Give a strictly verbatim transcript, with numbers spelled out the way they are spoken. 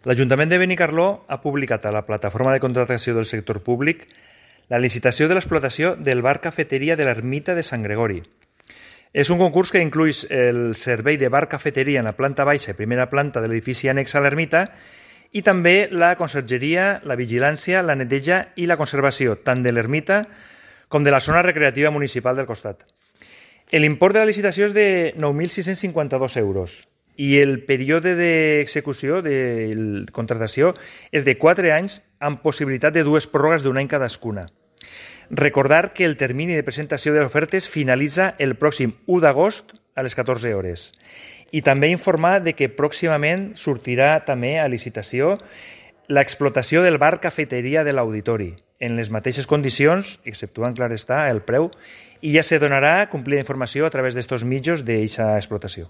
L'Ajuntament de Benicarló ha publicat a la plataforma de contractació del sector públic la licitació de l'explotació del bar cafeteria de l'Ermita de Sant Gregori. És un concurs que incluïs el servei de bar cafeteria en la planta baixa i primera planta de l'edifici annex a l'ermita i també la consergeria, la vigilància, la neteja i la conservació tant de l'ermita com de la zona recreativa municipal del costat. L'import de la licitació és de nou mil sis-cents cinquanta-dos euros i el període d'execució de la contractació és de quatre anys amb possibilitat de dues pròrrogues d'un any cadascuna. Recordar que el termini de presentació de les ofertes finalitza el pròxim u d'agost a les catorze hores. I també informar de que pròximament sortirà també a licitació l'explotació del bar cafeteria de l'auditori, en les mateixes condicions, exceptuant, clar està, el preu, i ja se donarà complida informació a través d'estos mitjos d'aquesta explotació.